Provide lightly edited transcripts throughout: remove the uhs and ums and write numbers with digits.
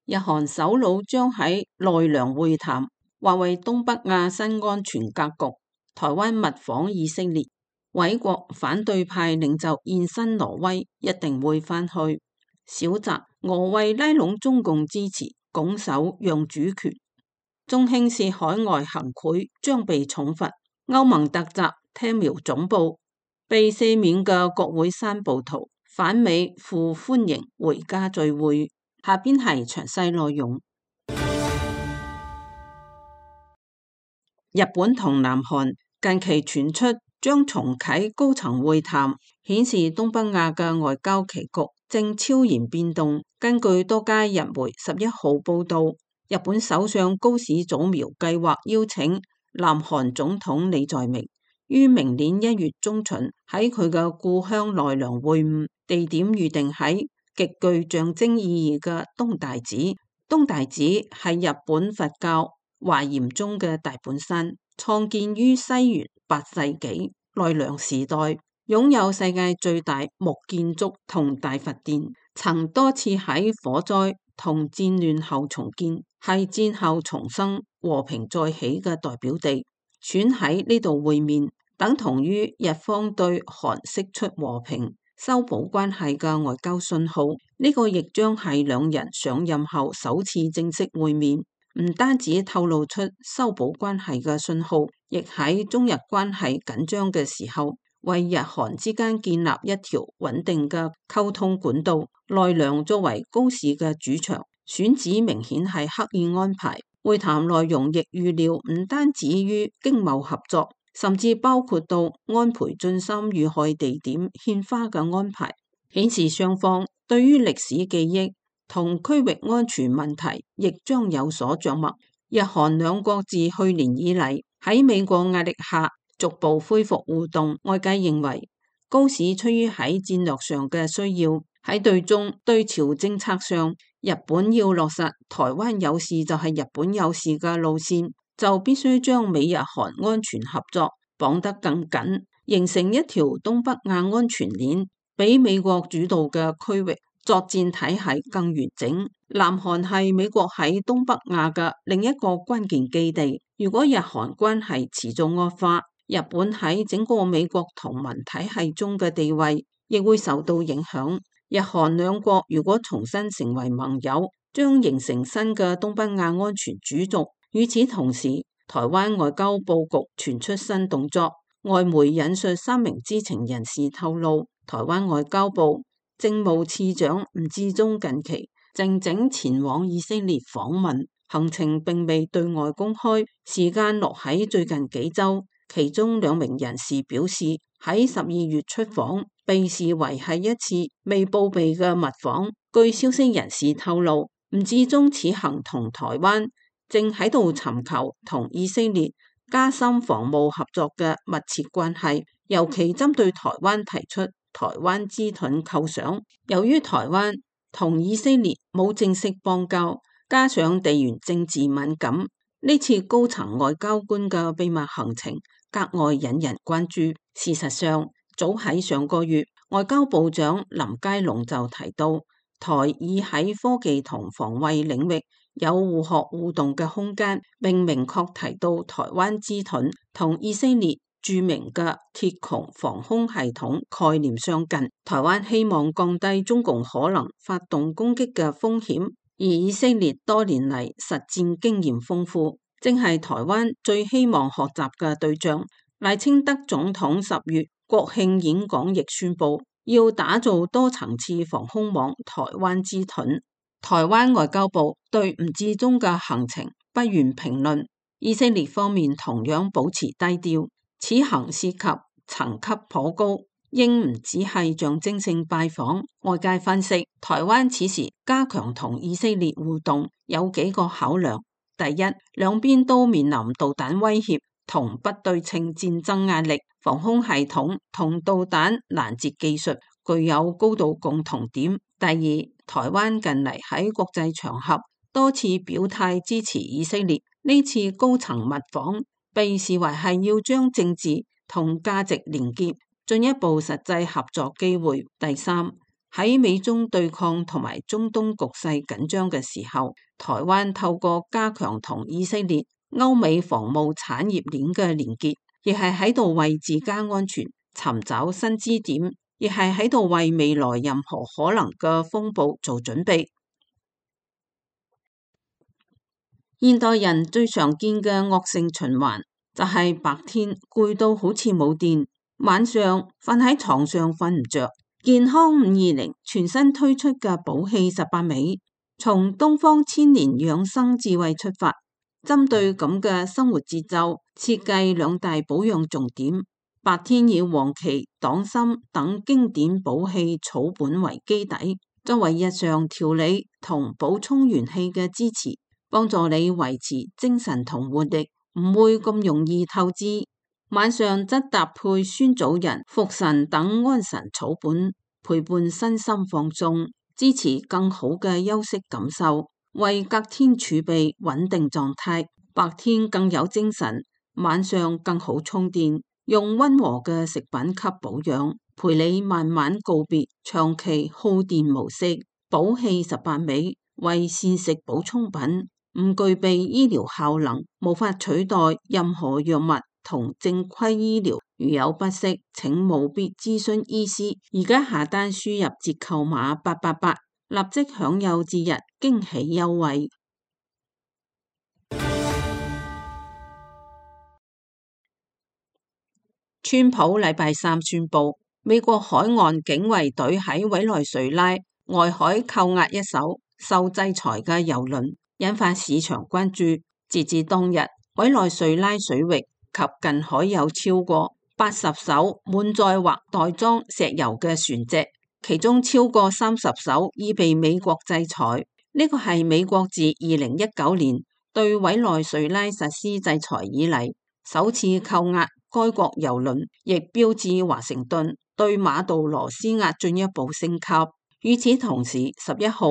日韓首腦將喺奈良會談，或為東北亞新安全格局。台灣密訪以色列，委國反對派領袖現身挪威，一定會返去。小澤，俄為拉攏中共支持，拱手讓主權。中興市海外行賄將被重罰。歐盟突襲聽苗總部，被赦免嘅國會山暴徒反美赴歡迎回家聚會。下邊係詳細內容。日本同南韓近期傳出將重啟高層會談，顯示東北亞嘅外交棋局正悄然變動。根據多家日媒11號報道，日本首相高市早苗計劃邀請南韓總統李在明於明年1月中旬喺佢嘅故鄉奈良會晤，地點預定喺極具象徵意義嘅東大寺。東大寺係日本佛教華嚴宗嘅大本山，創建於西元8世紀奈良時代，擁有世界最大木建築同大佛殿，曾多次喺火災同戰亂後重建，係戰後重生和平再起嘅代表地。選喺呢度會面，等同於日方對韓釋出和平、修補關係嘅外交信號。呢個亦將係兩人上任後首次正式會面，唔單止透露出修補關係嘅信號，亦喺中日關係緊張嘅時候，為日韓之間建立一條穩定嘅溝通管道。奈良作為高市嘅主場，選址明顯係刻意安排。會談內容亦預料唔單止於經貿合作，甚至包括到安倍晉三遇害地點獻花嘅安排，顯示雙方對於歷史記憶同區域安全問題亦將有所著墨。日韓兩國自去年以嚟喺美國壓力下逐步恢復互動，外界認為高市出於喺戰略上嘅需要，喺對中對朝政策上，日本要落實台灣有事就係日本有事嘅路線，就必須將美日韓安全合作綁得更緊，形成一條東北亞安全鏈，比美國主導嘅區域作戰體系更完整。南韓係美國喺東北亞嘅另一個關鍵基地，如果日韓關係持續惡化，日本喺整個美國同盟體系中嘅地位亦會受到影響。日韓兩國如果重新成為盟友，將形成新嘅東北亞安全主軸。與此同時，台灣外交佈局傳出新動作。外媒引述3名知情人士透露，台灣外交部政務次長吳志中近期靜靜前往以色列訪問，行程並未對外公開，時間落喺最近幾週。其中2名人士表示，喺12月出訪，被視為係一次未報備嘅密訪。據消息人士透露，吳志中此行同台灣正喺度尋求同以色列加深防務合作嘅密切關係，尤其針對台灣提出台灣之盾構想。由於台灣同以色列冇正式邦交，加上地緣政治敏感，呢次高層外交官嘅秘密行程格外引人關注。事實上，早喺上個月，外交部長林佳龍就提到，台已喺科技同防衛領域有互學互動嘅空間，並明確提到台灣之盾同以色列著名嘅鐵穹防空系統概念相近。台灣希望降低中共可能發動攻擊嘅風險，而以色列多年嚟實戰經驗豐富，正係台灣最希望學習嘅對象。賴清德總統10月國慶演講亦宣布，要打造多層次防空網台灣之盾。台灣外交部對吳志中嘅行程不願評論，以色列方面同樣保持低調。此行涉及層級頗高，應唔只係象徵性拜訪。外界分析，台灣此時加強同以色列互動有幾個考量。第一，兩邊都面臨導彈威脅同不對稱戰爭壓力，防空系統同導彈攔截技術具有高度共同點。第二，台灣近嚟喺國際場合多次表態支持以色列，呢次高層密訪被視為係要將政治同價值連結，進一步實際合作機會。第三，喺美中對抗同埋中東局勢緊張嘅時候，台灣透過加強同以色列、歐美防務產業鏈嘅連結，亦係喺度為自家安全尋找新支點，亦係喺度為未來任何可能嘅風暴做準備。現代人最常見嘅惡性循環就係白天攰到好似冇電，晚上瞓喺床上瞓唔着。健康520全新推出嘅補氣18味，從東方千年養生智慧出發，針對咁嘅生活節奏，設計2大保養重點。白天以黃芪、黨參等經典補氣草本為基底，作為日常調理同補充元氣嘅支持，幫助你維持精神同活力，唔會咁容易透支。晚上則搭配酸棗仁、茯神等安神草本，陪伴身心放鬆，支持更好嘅休息感受，為隔天儲備穩定狀態。白天更有精神，晚上更好充電。用溫和嘅食品給保養，陪你慢慢告別長期耗電模式。補氣18味為膳食補充品，唔具備醫療效能，無法取代任何藥物同正規醫療。如有不適，請務必諮詢醫師。而家下單輸入折扣碼888，立即享有節日驚喜優惠。川普禮拜三宣布，美國海岸警衛隊喺委內瑞拉外海扣押一艘受制裁嘅郵輪，引發市場關注。截至當日，委內瑞拉水域及近海有超過80艘滿載或袋裝石油嘅船隻，其中超過30艘已被美國制裁。呢個係美國自2019年對委內瑞拉實施制裁以嚟首次扣押該國郵輪，亦標誌華盛頓對馬杜羅施壓進一步升級。與此同時，11號，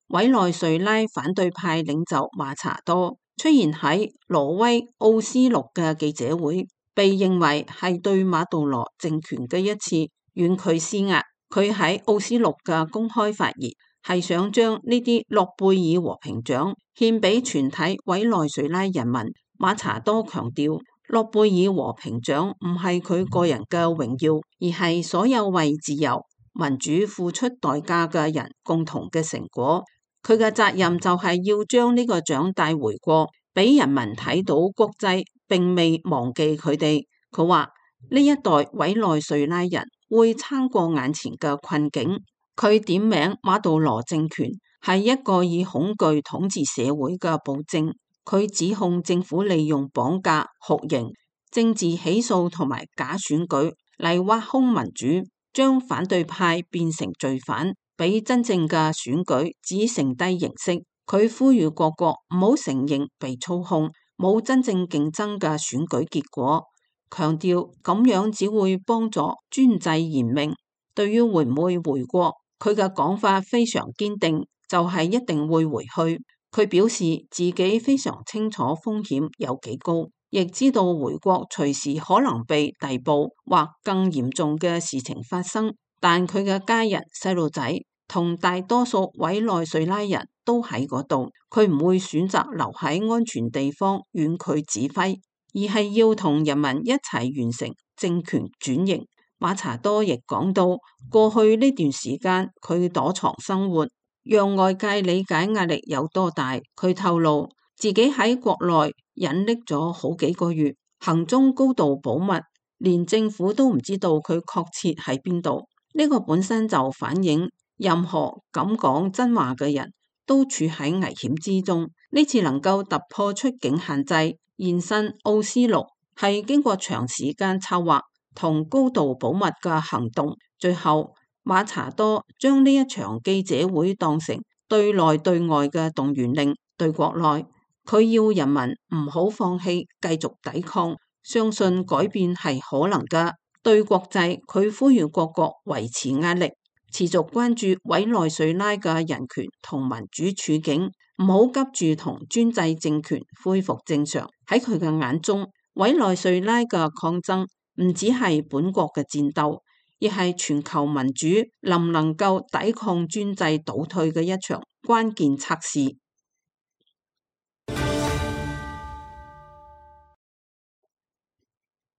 委內瑞拉反對派領袖馬查多出現喺挪威奧斯陸嘅記者會，被認為係對馬杜羅政權嘅一次遠距施壓。佢喺奧斯陸嘅公開發言係想將呢啲諾貝爾和平獎獻俾全體委內瑞拉人民。馬查多強調，諾貝爾和平獎唔係佢個人嘅榮耀，而係所有為自由民主付出代價嘅人共同嘅成果。佢嘅責任就係要將呢個獎帶回國，俾人民睇到國際並未忘記佢哋。佢話呢一代委內瑞拉人會撐過眼前嘅困境。佢點名馬杜羅政權係一個以恐懼統治社會嘅暴政。佢指控政府利用綁架、酷刑、政治起訴同埋假選舉嚟挖空民主，將反對派變成罪犯，俾真正嘅選舉只剩低形式。佢呼籲各國唔好承認被操控，冇真正競爭嘅選舉結果，強調咁樣只會幫助專制嚴明。對於會唔會回國，佢嘅講法非常堅定，就係一定會回去。佢表示自己非常清楚風險有幾高，亦知道回國隨時可能被逮捕或更嚴重嘅事情發生。但佢嘅家人、細路仔同大多數委內瑞拉人都喺嗰度，佢唔會選擇留喺安全地方遠距指揮，而係要同人民一齊完成政權轉型。馬查多亦講到，過去呢段時間佢躲藏生活，讓外界理解壓力有多大。佢透露自己喺國內隱匿咗好幾個月，行蹤高度保密，連政府都唔知道佢確切喺邊度。呢個本身就反映任何敢講真話嘅人都處喺危險之中。呢次能夠突破出境限制，現身奧斯陸，係經過長時間策劃同高度保密嘅行動。最後馬查多將呢一場記者會當成對內對外嘅動員令。對國內，佢要人民唔好放棄，繼續抵抗，相信改變係可能嘅。對國際，佢呼籲各國維持壓力，持續關注委內瑞拉嘅人權同民主處境，唔好急住同專制政權恢復正常。喺佢嘅眼中，委內瑞拉嘅抗爭唔只係本國嘅戰鬥，亦係全球民主能唔能夠抵抗專制倒退嘅一場關鍵測試。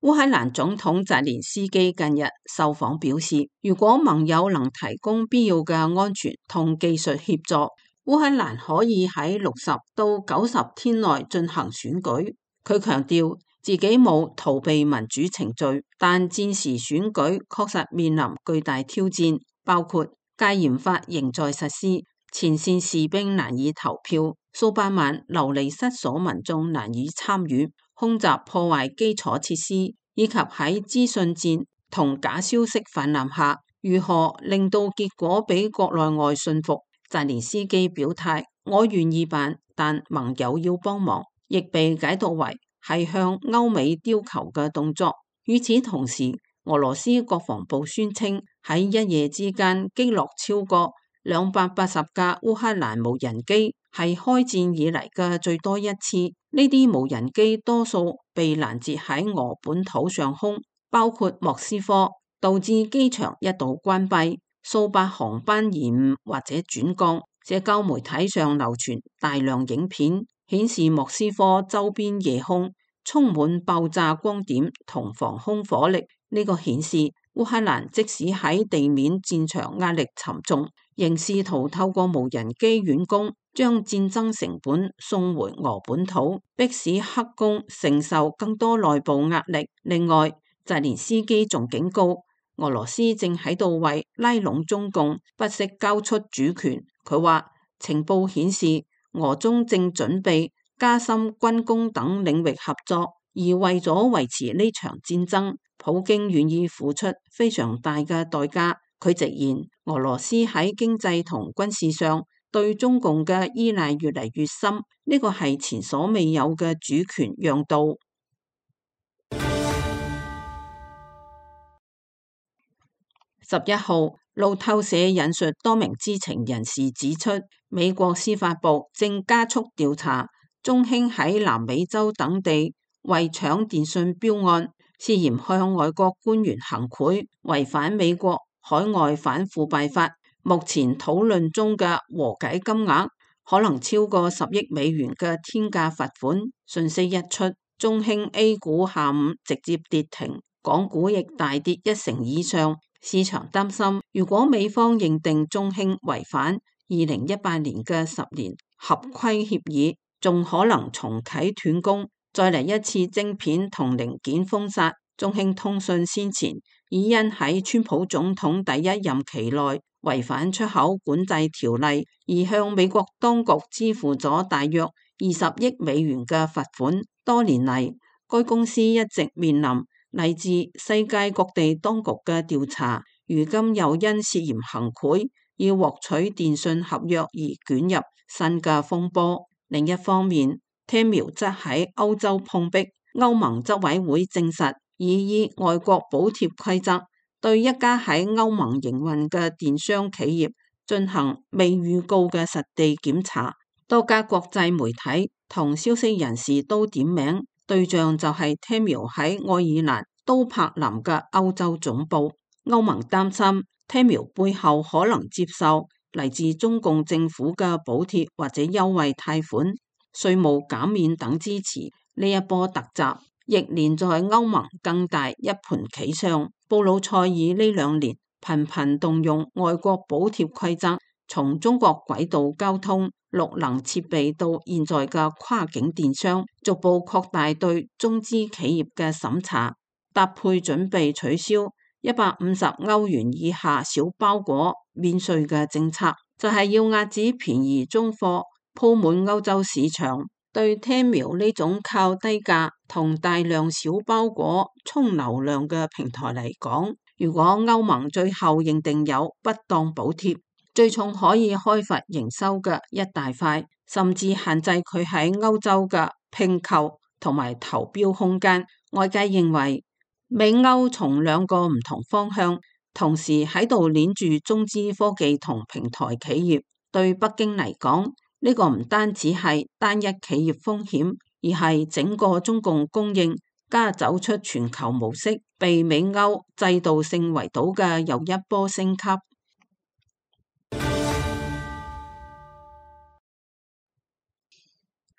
烏克蘭總統澤連斯基近日受訪表示，如果盟友能提供必要嘅安全同技術協助，烏克蘭可以喺60到90天內進行選舉。佢強調自己冇逃避民主程序，但戰時選舉確實面臨巨大挑戰，包括戒嚴法仍在實施，前線士兵難以投票，數百萬流離失所民眾難以參與，空襲破壞基礎設施，以及喺資訊戰同假消息氾濫下，如何令到結果俾國內外信服。澤連斯基表態，我願意辦，但盟友要幫忙，亦被解讀為係向歐美要求嘅動作。與此同時，俄羅斯國防部宣稱喺一夜之間擊落超過280架烏克蘭無人機，係開戰以嚟嘅最多一次。呢啲無人機多數被攔截喺俄本土上空，包括莫斯科，導致機場一度關閉，數百航班延誤或者轉降。社交媒體上流傳大量影片，顯示莫斯科周邊夜空充滿爆炸光點同防空火力。呢個顯示烏克蘭即使喺地面戰場壓力沉重，仍試圖透過無人機遠攻，將戰爭成本送回俄本土，迫使克宮承受更多內部壓力。另外，澤連斯基仲警告，俄羅斯正喺度為拉攏中共，不惜交出主權。佢話情報顯示，俄中正準備加深軍工等領域合作，而為咗維持呢場戰爭，普京願意付出非常大嘅代價。佢直言，俄羅斯喺經濟同軍事上對中共嘅依賴越嚟越深，呢個係前所未有嘅主權讓渡。11號，路透社引述多名知情人士指出，美國司法部正加速調查中興喺南美洲等地為搶電信標案，涉嫌向外國官員行賄，違反美國海外反腐敗法。目前討論中嘅和解金額可能超過10億美元嘅天價罰款。訊息一出，中興 A 股下午直接跌停，港股亦大跌1成以上。市場擔心，如果美方認定中興違反2018年嘅10年合規協議，仲可能重啟斷供，再嚟一次晶片同零件封殺。中興通訊先前已因喺川普總統第一任期內違反出口管制條例，而向美國當局支付咗大約20億美元嘅罰款。多年嚟，該公司一直面臨嚟自世界各地當局嘅調查，如今又因涉嫌行賄要獲取電信合約而捲入新嘅風波。另一方面，T-Mobile則喺歐洲碰壁，歐盟執委會證實已以外國補貼規則對一家喺歐盟營運嘅電商企業進行未預告嘅實地檢查。多家國際媒體同消息人士都點名，對象就係 T-Mobile 喺愛爾蘭都柏林嘅歐洲總部。歐盟擔心 T-Mobile 背後可能接受嚟自中共政府嘅補貼或者優惠貸款、稅務減免等支持。呢一波突襲亦連在歐盟更大一盤棋上。布魯塞爾呢2年頻頻動用外國補貼規則，從中國軌道交通、綠能設備到現在嘅跨境電商，逐步擴大對中資企業嘅審查，搭配準備取消150歐元以下小包裹免稅嘅政策，就係要遏止便宜中貨鋪滿歐洲市場。對 T-Mobile 呢種靠低價同大量小包裹充流量嘅平台嚟講，如果歐盟最後認定有不當補貼，最重可以開罰營收嘅一大塊，甚至限制佢喺歐洲嘅併購同埋投標空間。外界認為美歐從2個唔同方向同時喺度鏈住中資科技同平台企業，對北京嚟講，呢個唔單止係單一企業風險，而係整個中共供應家走出全球模式，被美歐制度性圍堵嘅又一波升級。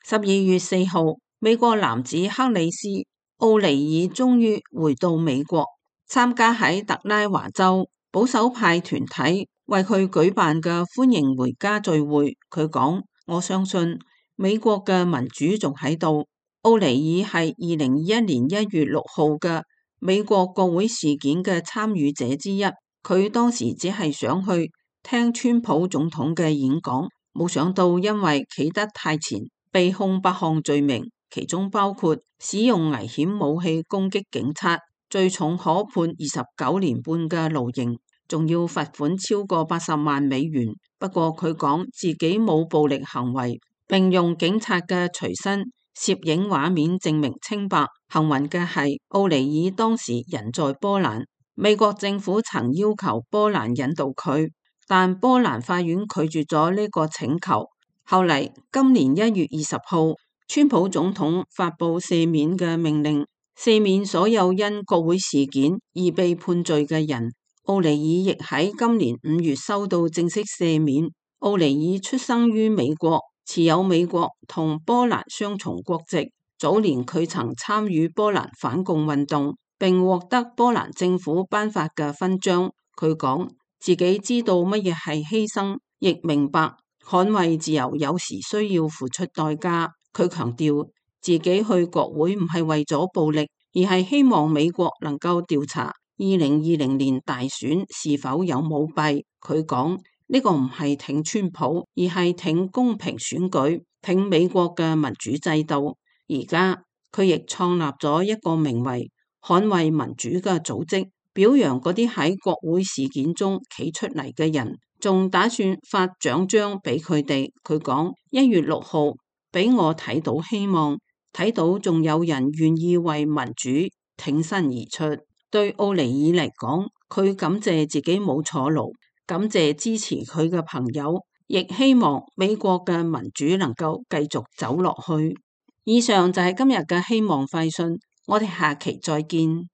12月4號，美國男子克里斯·奧尼爾終於回到美國，參加喺特拉華州保守派團體為佢舉辦嘅歡迎回家聚會。佢講：我相信美國嘅民主仲喺度。奧尼爾係2021年1月6號嘅美國國會事件嘅參與者之一，佢當時只係想去聽川普總統嘅演講，冇想到因為企得太前，被控8項罪名，其中包括使用危險武器攻擊警察，最重可判29年半嘅徒刑，仲要罰款超過80萬美元。不過佢講自己冇暴力行為，並用警察嘅隨身攝影畫面證明清白。幸運嘅係，奧尼爾當時人在波蘭，美國政府曾要求波蘭引渡佢，但波蘭法院拒絕咗呢個請求。後嚟今年1月20號，川普總統發布赦免嘅命令，赦免所有因國會事件而被判罪嘅人。奧尼爾亦喺今年5月收到正式赦免。奧尼爾出生於美國，持有美國同波蘭雙重國籍。早年佢曾參與波蘭反共運動，並獲得波蘭政府頒發嘅勳章。佢講自己知道乜嘢係犧牲，亦明白捍衛自由有時需要付出代價。佢強調自己去國會唔係為咗暴力，而係希望美國能夠調查2020年大選是否有舞弊。佢講呢個唔係挺川普，而係挺公平選舉，挺美國嘅民主制度。而家佢亦創立咗一個名為捍衛民主嘅組織，表揚嗰啲喺國會事件中企出嚟嘅人，仲打算發獎章俾佢哋。佢講1月6號俾我睇到希望，睇到仲有人願意為民主挺身而出。對奧尼爾嚟講，佢感謝自己冇坐牢，感謝支持佢嘅朋友，亦希望美國嘅民主能夠繼續走落去。以上就係今日嘅希望快訊，我哋下期再見。